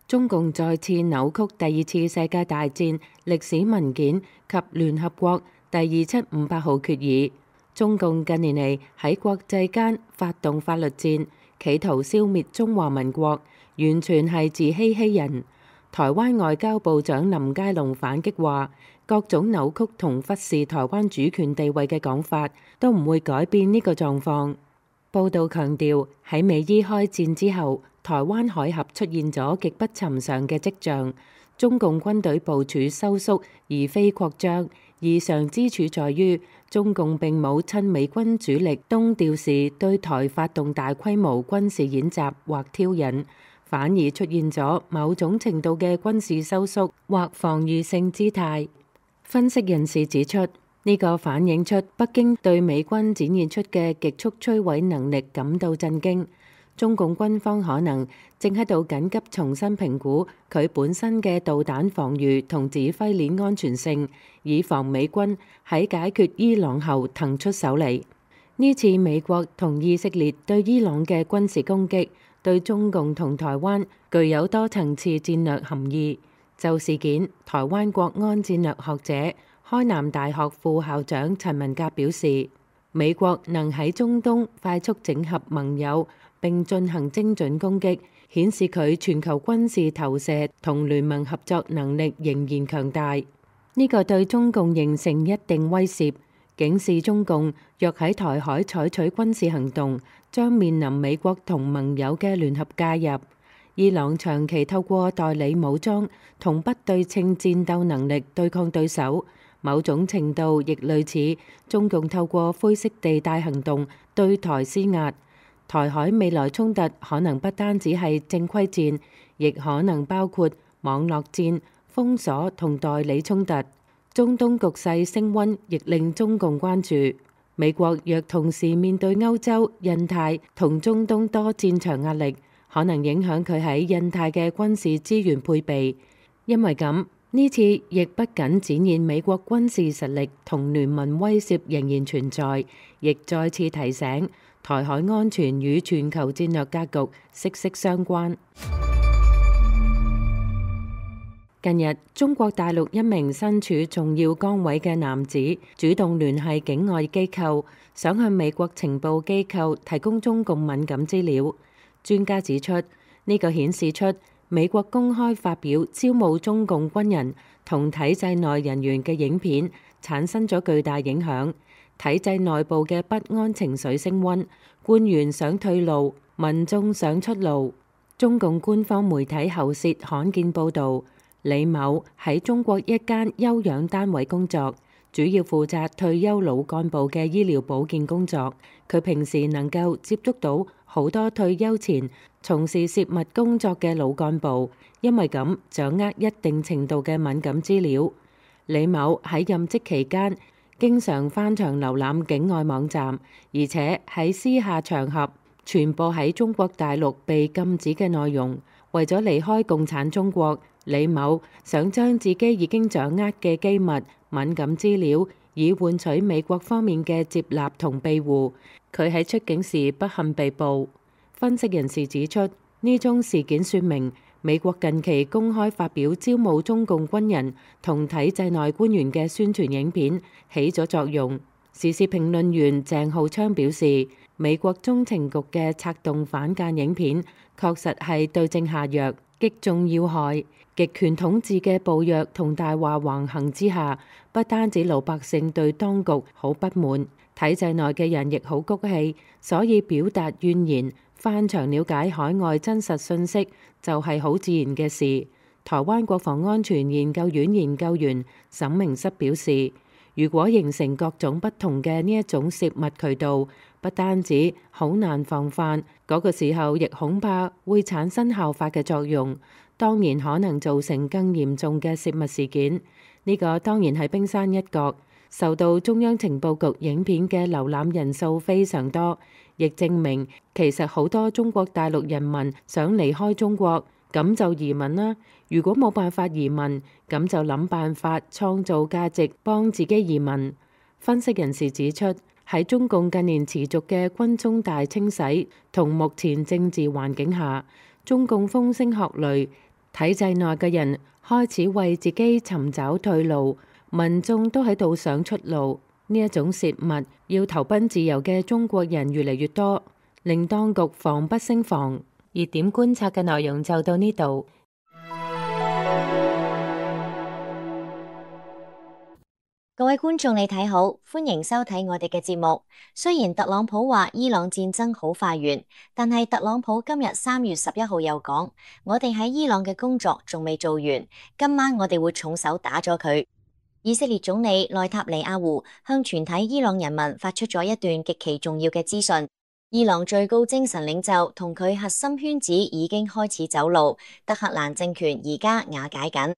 中共再次扭曲第二次世界大戰歷史文件及聯合國第2758號決議。中共近年嚟喺國際間發動法律戰，企圖消滅中華民國，完全係自欺欺人。台灣外交部長林佳龍反擊話，各種扭曲同忽視台灣主權地位嘅講法，都唔會改變呢個狀況。報道強調，喺美伊開戰之後，台灣海峽出現咗極不尋常嘅跡象，中共軍隊部署收縮而非擴張。異常之處在於，中共並冇趁美軍主力東調時對台發動大規模軍事演習或挑釁，反而出現咗某種程度嘅軍事收縮或防禦性姿態。分析人士指出，呢個反映出北京對美軍展現出嘅極速摧毀能力感到震驚。中共軍方可能正喺度緊急重新評估佢本身嘅導彈防禦同指揮鏈安全性，以防美軍喺解決伊朗後騰出手嚟。呢次美國同以色列對伊朗嘅軍事攻擊，對中共同台灣具有多層次戰略含義。就事件，台灣國安戰略學者、開南大學副校長陳文甲表示，美國能喺中東快速整合盟友並進行精準攻擊，顯示佢全球軍事投射同聯盟合作能力仍然強大。呢個對中共形成一定威懾，警示中共若喺台海採取軍事行動，將面臨美國同盟友嘅聯合介入。伊朗長期透過代理武裝同不對稱戰鬥能力對抗對手，某種程度亦類似中共透過灰色地帶行動對台施壓。台海未來衝突可能不單止係正規戰，亦可能包括網絡戰、封鎖同代理衝突。中東局勢升溫，亦令中共關注。美國若同時面對歐洲、印太同中東多戰場壓力，可能影響佢喺印太嘅軍事資源配備。因為咁，呢次亦不僅展現美國軍事實力同聯盟威懾仍然存在，亦再次提醒台海安全與全球戰略格局息息相關。近日，中國大陸一名身處重要崗位嘅男子主動聯繫境外機構，想向美國情報機構提供中共敏感資料。專家指出，呢個顯示出美國公開發表招募中共軍人同體制內人員嘅影片，產生咗巨大影響。體制內部嘅不安情緒升溫，官員想退路，民眾想出路。中共官方媒體喉舌罕見報導，李某喺中國一間休養單位工作，主要負責退休老幹部嘅醫療保健工作。佢平時能夠接觸到好多退休前從事泄密工作嘅老幹部，因為咁掌握一定程度嘅敏感資料。李某喺任職期間經常翻牆瀏覽境外網站，而且喺私下場合傳播喺中國大陸被禁止嘅內容。為咗離開共產中國，李某想將自己已經掌握嘅機密敏感資料，以換取美國方面嘅接納同庇護。佢喺出境時不幸被捕。分析人士指出，呢宗事件說明美國近期公開發表招募中共軍人同體制內官員嘅宣傳影片起咗作用。時事評論員鄭浩昌表示，美國中情局嘅策動反間影片確實係對症下藥，擊中要害。極權統治嘅暴虐同大話橫行之下，不單止老百姓對當局好不滿，體制內嘅人亦好谷氣，所以表達怨言，翻牆了解海外真實信息就係好自然嘅事。台灣國防安全研究院研究員沈明室表示，如果形成各種不同嘅呢一種泄密渠道，不單止好難防範，嗰個時候亦恐怕會產生效法嘅作用，當然可能造成更嚴重嘅泄密事件。呢個當然係冰山一角，受到中央情報局影片嘅瀏覽人數非常多，亦證明其實好多中國大陸人民想離開中國，咁就移民啦。如果冇辦法移民，咁就諗辦法創造價值幫自己移民。分析人士指出，喺中共近年持續嘅軍中大清洗同目前政治環境下，中共風聲鶴唳，體制內嘅人開始為自己尋找退路，民眾都喺度想出路。呢一種泄密要投奔自由嘅中國人越嚟越多，令當局防不勝防。熱點觀察嘅內容就到呢度。各位觀眾你睇好，歡迎收睇我哋嘅節目。雖然特朗普話伊朗戰爭好快完，但係特朗普今日3月11號又講，我哋喺伊朗嘅工作仲未做完，今晚我哋會重手打咗佢。以色列總理內塔尼亞胡向全體伊朗人民發出咗一段極其重要嘅資訊，伊朗最高精神領袖同佢核心圈子已經開始走路，德黑蘭政權而家瓦解緊。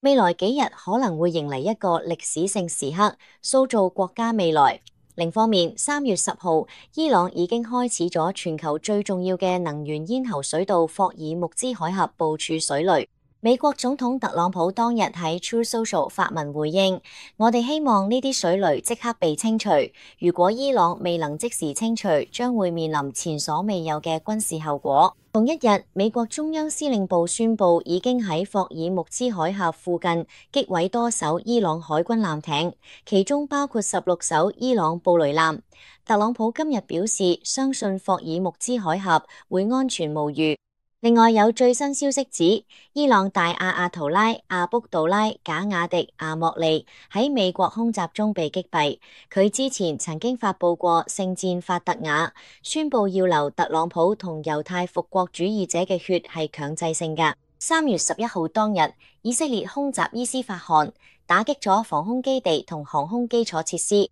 未來幾日可能會迎嚟一個歷史性時刻，塑造國家未來。另一方面，3月10號，伊朗已經開始咗全球最重要嘅能源咽喉水道霍爾木茲海峽部署水雷。美國總統特朗普當日喺 True Social 發文回應，我哋希望呢啲水雷即刻被清除。如果伊朗未能即時清除，將會面臨前所未有嘅軍事後果。同一日，美國中央司令部宣布已經喺霍爾木茲海峽附近擊毀多艘伊朗海軍艦艇，其中包括16艘伊朗布雷艦。特朗普今日表示，相信霍爾木茲海峽會安全無虞。另外有最新消息指，伊朗大阿亞圖拉、阿卜杜拉、賈雅迪、阿莫利喺美國空襲中被擊斃。佢之前曾經發佈過聖戰法特雅，宣布要留特朗普同猶太復國主義者嘅血係強制性㗎。3月11號當日，以色列空襲伊斯法罕，打擊咗防空基地同航空基礎設施。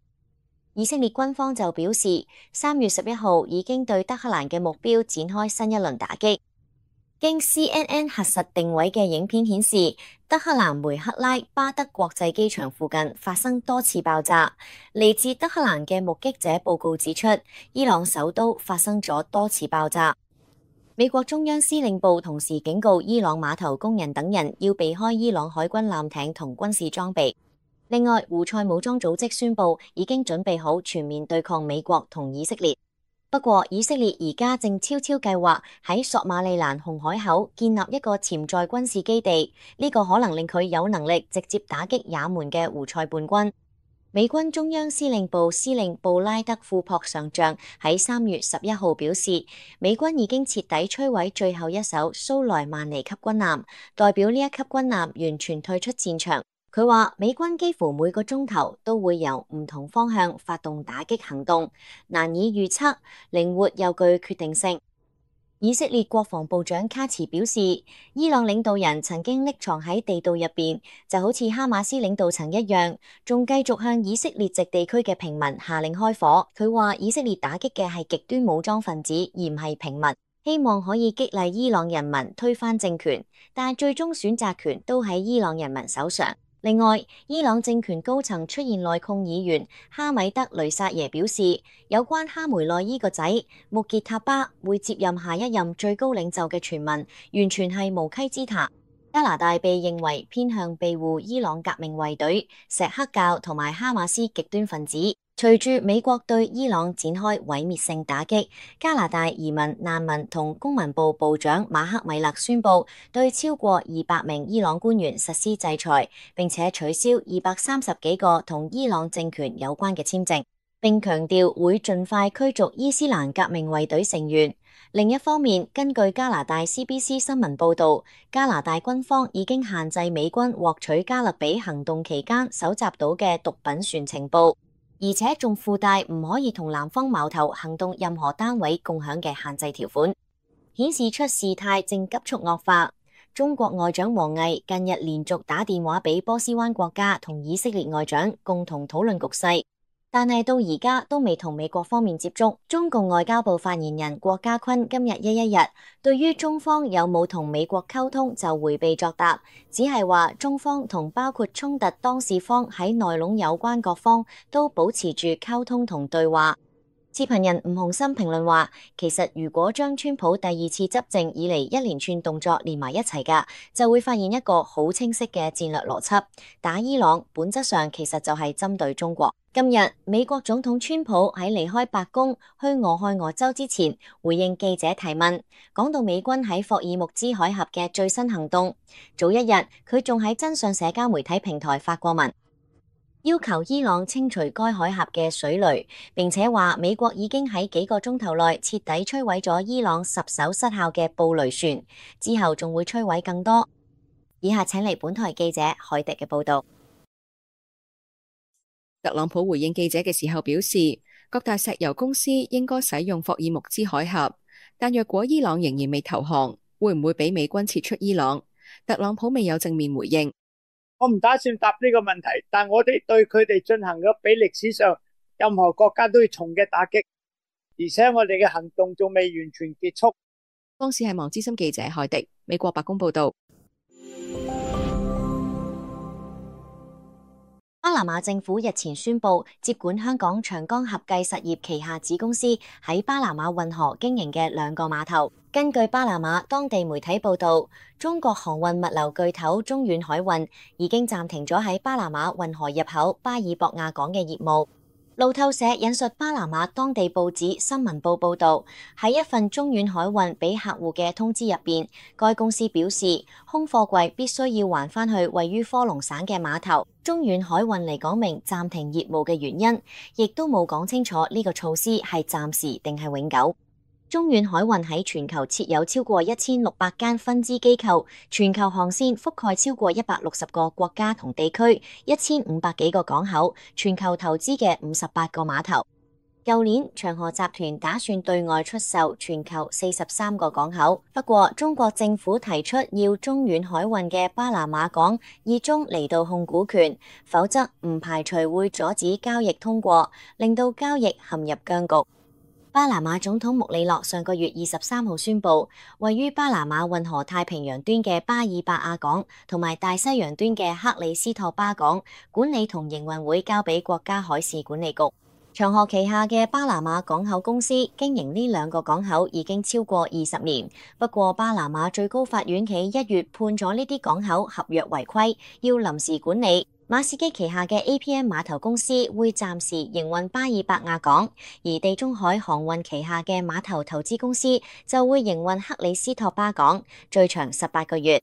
以色列軍方就表示，3月11號已經對德黑蘭嘅目標展開新一輪打擊。經 CNN 核實定位嘅影片顯示，德黑蘭梅克拉巴德國際機場附近發生多次爆炸。嚟自德黑蘭嘅目擊者報告指出，伊朗首都發生咗多次爆炸。美國中央司令部同時警告伊朗碼頭工人等人要避開伊朗海軍艦艇同軍事裝備。另外，胡塞武裝組織宣布已經準備好全面對抗美國同以色列。不過，以色列而家正悄悄計劃喺索馬利蘭紅海口建立一個潛在軍事基地，呢個可能令佢有能力直接打擊也門嘅胡塞叛軍。美軍中央司令部司令布拉德庫珀上將喺3月11號表示，美軍已經徹底摧毀最後一艘蘇萊曼尼級軍艦，代表呢一級軍艦完全退出戰場。佢話美軍幾乎每個鐘頭都會由唔同方向發動打擊行動，難以預測，靈活又具決定性。以色列國防部長卡茨表示，伊朗領導人曾經匿藏喺地道入邊，就好似哈馬斯領導層一樣，仲繼續向以色列籍地區嘅平民下令開火。佢話以色列打擊嘅係極端武裝分子，而唔係平民，希望可以激勵伊朗人民推翻政權，但係最終選擇權都喺伊朗人民手上。另外，伊朗政權高層出現內訌議員哈米德雷薩耶表示，有關哈梅內伊個仔穆傑塔巴會接任下一任最高領袖嘅傳聞，完全係無稽之談。加拿大被認為偏向庇護伊朗革命衛隊、錫克教同埋哈馬斯極端分子。隨住美國對伊朗展開毀滅性打擊，加拿大移民、難民同公民部部長馬克米勒宣布對超過200名伊朗官員實施制裁，並且取消230幾個同伊朗政權有關嘅簽證，並強調會盡快驅逐伊斯蘭革命衛隊成員。另一方面，根據加拿大 CBC 新聞報導，加拿大軍方已經限制美軍獲取加勒比行動期間搜集到嘅毒品船情報。而且仲附帶唔可以同南方矛頭行動任何單位共享嘅限制條款，顯示出事態正急速惡化。中國外長王毅近日連續打電話俾波斯灣國家同以色列外長共同討論局勢，但係到而家都未同美國方面接觸。中共外交部發言人郭家坤今日一日對於中方有冇同美國溝通就迴避作答，只係話中方同包括衝突當事方喺內籠有關各方都保持住溝通同對話。視頻人吳鴻燊評論話，其實如果將川普第二次執政以嚟一連串動作連埋一齊㗎，就會發現一個好清晰嘅戰略邏輯。打伊朗本質上其實就係針對中國。今日美國總統川普喺離開白宮去俄亥俄州之前，回應記者提問，講到美軍喺霍爾木茲海峽嘅最新行動。早一日佢仲喺真相社交媒體平台發過文，要求伊朗清除該海峽嘅水雷，並且話美國已經喺幾個鐘頭內徹底摧毀咗伊朗10艘失效嘅布雷船，之後仲會摧毀更多。以下請嚟本台記者海迪嘅報道。特朗普回應記者嘅時候表示，各大石油公司應該使用霍爾木茲海峽，但若果伊朗仍然未投降，會唔會俾美軍撤出伊朗？特朗普未有正面回應。我唔打算答呢個問題，但我哋對佢哋進行咗比歷史上任何國家都要重嘅打擊，而且我哋嘅行動仲未完全結束。當時係網資深記者海迪，美國白宮報道。巴拿馬政府日前宣布接管香港長江合計實業旗下子公司喺巴拿馬運河經營嘅2個碼頭。根據巴拿馬當地媒體報道，中國航運物流巨頭中遠海運已經暫停咗喺巴拿馬運河入口巴爾博亞港嘅業務。路透社引述巴拿馬當地報紙《新聞報》報道，喺一份中遠海運俾客戶嘅通知入邊，該公司表示空貨櫃必須要還返去位於科隆省嘅碼頭。中遠海運嚟講明暫停業務嘅原因，亦都冇講清楚呢個措施係暫時定係永久。中遠海運喺全球設有超過1600間分支機構，全球航線覆蓋超過160個國家同地區，1500幾個港口，全球投資嘅58個碼頭。舊年長河集團打算對外出售全球43個港口，不過中國政府提出要中遠海運嘅巴拿馬港以中離道控股權，否則唔排除會阻止交易通過，令到交易陷入僵局。巴拿馬總統穆里諾上個月23號宣布，位於巴拿馬運河太平洋端嘅巴爾伯亞港同埋大西洋端嘅克里斯托巴港管理同營運會交俾國家海事管理局。長河旗下嘅巴拿馬港口公司經營呢2個港口已經超過20年，不過巴拿馬最高法院喺1月判咗呢啲港口合約違規，要臨時管理。馬士基旗下嘅 APM 碼頭公司會暫時營運巴爾伯亞港，而地中海航運旗下嘅碼頭投資公司就會營運克里斯托巴港，最長18個月。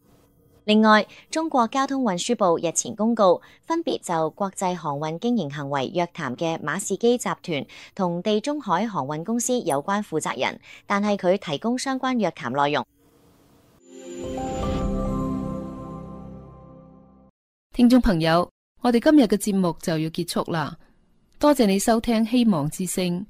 另外，中國交通運輸部日前公告，分別就國際航運經營行為約談嘅馬士基集團同地中海航運公司有關負責人，但係佢提供相關約談內容。聽眾朋友，我哋今日嘅節目就要結束啦，多謝你收聽希望之聲。